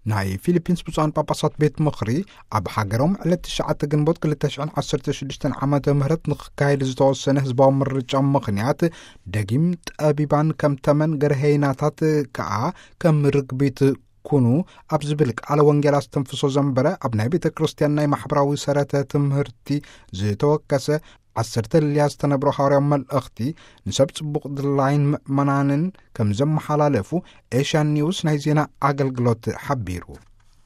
ናይ ፊሊፒንስ ብፁዓን ጳጳሳት ቤት ምኽሪ፣ ኣብ ሃገሮም ዕለት ትሽዓተ ግንቦት ክልተ ሽሕን ዓሰርተ ሽዱሽተን ዓመተ ምህረት ንኽካየድ ዝተወሰነ ህዝባዊ ምርጫ ምኽንያት፣ ደጊም ጠቢባን ከም ተመን ገርሄይናታት ከኣ ከም ርግቢት ኩኑ ኣብ ዝብል ቃለ ወንጌል ኣስተንፍሶ ዘንበረ፣ ኣብ ናይ ቤተ ክርስቲያን ናይ ማሕበራዊ ሰረተ ትምህርቲ ዝተወከሰ ዓሰርተ ልልያ ዝተነብሮ ሃዋርያዊ መልእኽቲ ንሰብ ጽቡቕ ድላይን ምእመናንን ከም ዘመሓላለፉ ኤሽያን ኒውስ ናይ ዜና ኣገልግሎት ሓቢሩ።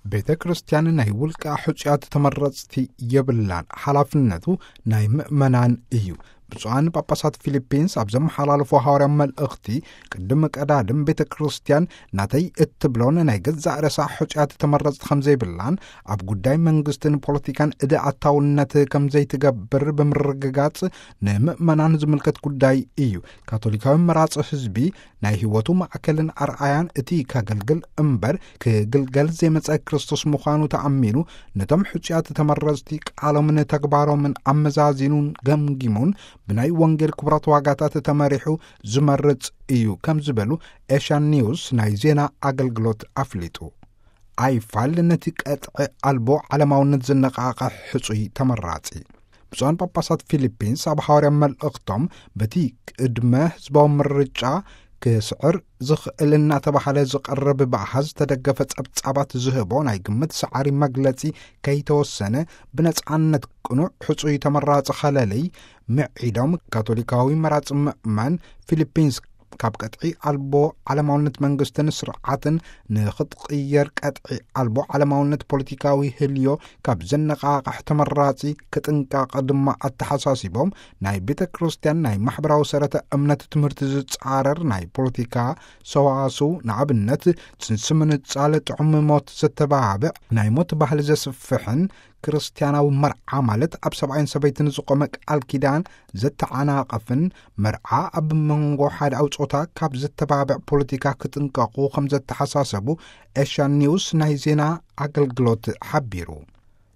ቤተ ክርስቲያን ናይ ውልቃ ሕጹያት ተመረጽቲ የብላን፣ ሓላፍነቱ ናይ ምእመናን እዩ። ብፁዓን ጳጳሳት ፊሊፒንስ ኣብ ዘመሓላለፎ ሃዋርያዊ መልእኽቲ፣ ቅድም ቀዳድም ቤተ ክርስቲያን ናተይ እትብሎን ናይ ገዛእ ርእሳ ሕጹያት ተመረጽቲ ከም ዘይብላን፣ ኣብ ጉዳይ መንግስትን ፖለቲካን እደ ኣታውነት ከም ዘይትገብር ብምርግጋጽ፣ ንምእመናን ዝምልከት ጉዳይ እዩ። ካቶሊካዊ መራጺ ህዝቢ ናይ ህይወቱ ማእከልን ኣርኣያን፣ እቲ ከገልግል እምበር ክግልገል ዘይመጸ ክርስቶስ ምዃኑ ተኣሚኑ፣ ነቶም ሕጹያት ተመረጽቲ ቃሎምን ተግባሮምን ኣመዛዚኑን ገምጊሙን፣ ብናይ ወንጌል ክቡራት ዋጋታት ተመሪሑ ዝመርጽ እዩ ከም ዝበሉ ኤሽያን ኒውስ ናይ ዜና ኣገልግሎት ኣፍሊጡ። ኣይፋል ነቲ ቀጥዒ ኣልቦ ዓለማውነት ዘነቓቕሕ ሕጹይ ተመራጺ። ብፁዓን ጳጳሳት ፊሊፒንስ ኣብ ሃዋርያ መልእኽቶም፣ በቲ ቅድመ ህዝባዊ ምርጫ ክስዕር ዝኽእል እናተባህለ ዝቐርብ ብኣሃዝ ዝተደገፈ ጸብጻባት ዝህቦ ናይ ግምት ሰዓሪ መግለጺ ከይተወሰነ፣ ብነጻነት ቅኑዕ ሕጹይ ተመራጺ ከለልይ ምዒዶም፣ ካቶሊካዊ መራጺ ምእመን ፊሊፒንስ ካብ ቀጥዒ ኣልቦ ዓለማውነት መንግስትን ስርዓትን ንኽትቕየር፣ ቀጥዒ ኣልቦ ዓለማውነት ፖለቲካዊ ህልዮ ካብ ዘነቓቕሕ ተመራጺ ክጥንቀቕ ድማ ኣተሓሳሲቦም፣ ናይ ቤተ ክርስቲያን ናይ ማሕበራዊ ሰረተ እምነት ትምህርቲ ዝጻረር ናይ ፖለቲካ ሰዋስው፣ ንኣብነት ጽንሲ ምንጻል፣ ጥዑም ሞት ዘተባብዕ፣ ናይ ሞት ባህሊ ዘስፍሕን፣ ክርስትያናዊ መርዓ ማለት ኣብ ሰብኣይን ሰበይትን ዝቆመ ቃል ኪዳን ዘተዓናቐፍን፣ መርዓ ኣብ መንጎ ሓደ ኣውጾታ ካብ ዘተባብዕ ፖለቲካ ክጥንቀቑ ከም ዘተሓሳሰቡ ኤሽያን ኒውስ ናይ ዜና ኣገልግሎት ሓቢሩ።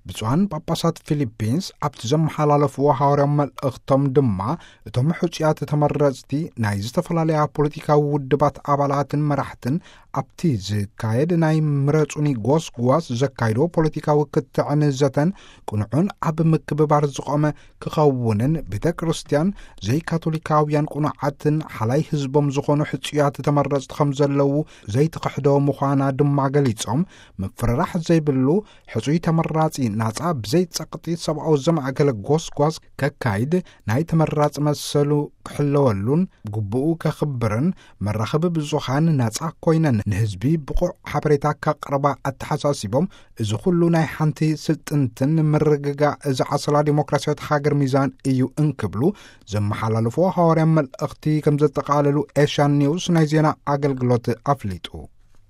ብፁዓን ጳጳሳት ፊሊፒንስ ኣብቲ ዘመሓላለፍዎ ሃዋርያዊ መልእኽቶም ድማ፣ እቶም ሕጹያት ተመረጽቲ ናይ ዝተፈላለያ ፖለቲካዊ ውድባት ኣባላትን መራሕትን ኣብቲ ዝካየድ ናይ ምረጹኒ ጎስጓስ ዘካይዶ ፖለቲካዊ ክትዕን ዘተን ቅኑዕን ኣብ ምክብባር ዝቖመ ክኸውንን፣ ቤተ ክርስቲያን ዘይካቶሊካውያን ቅኑዓትን ሓላይ ህዝቦም ዝኾኑ ሕጹያት ተመረጽቲ ከም ዘለዉ ዘይትኽሕዶ ምዃና ድማ ገሊጾም፣ ምፍርራሕ ዘይብሉ ሕጹይ ተመራጺ ናጻ ብዘይ ጸቕጢ ሰብኣዊ ዘማእከለ ጎስጓስ ከካይድ፣ ናይ ተመራጺ መሰሉ ክሕለወሉን ግቡኡ ከኽብርን፣ መራኸቢ ብዙኻን ናጻ ኮይነን ንህዝቢ ብቑዕ ሓበሬታ ከቕርባ ኣተሓሳሲቦም፣ እዚ ኩሉ ናይ ሓንቲ ስልጥንትን ምርግጋእ እዚ ዓስላ ዲሞክራሲያዊት ሃገር ሚዛን እዩ እንክብሉ ዘመሓላለፍዎ ሃዋርያ መልእኽቲ ከም ዘጠቓለሉ ኤሽያን ኒውስ ናይ ዜና ኣገልግሎት ኣፍሊጡ።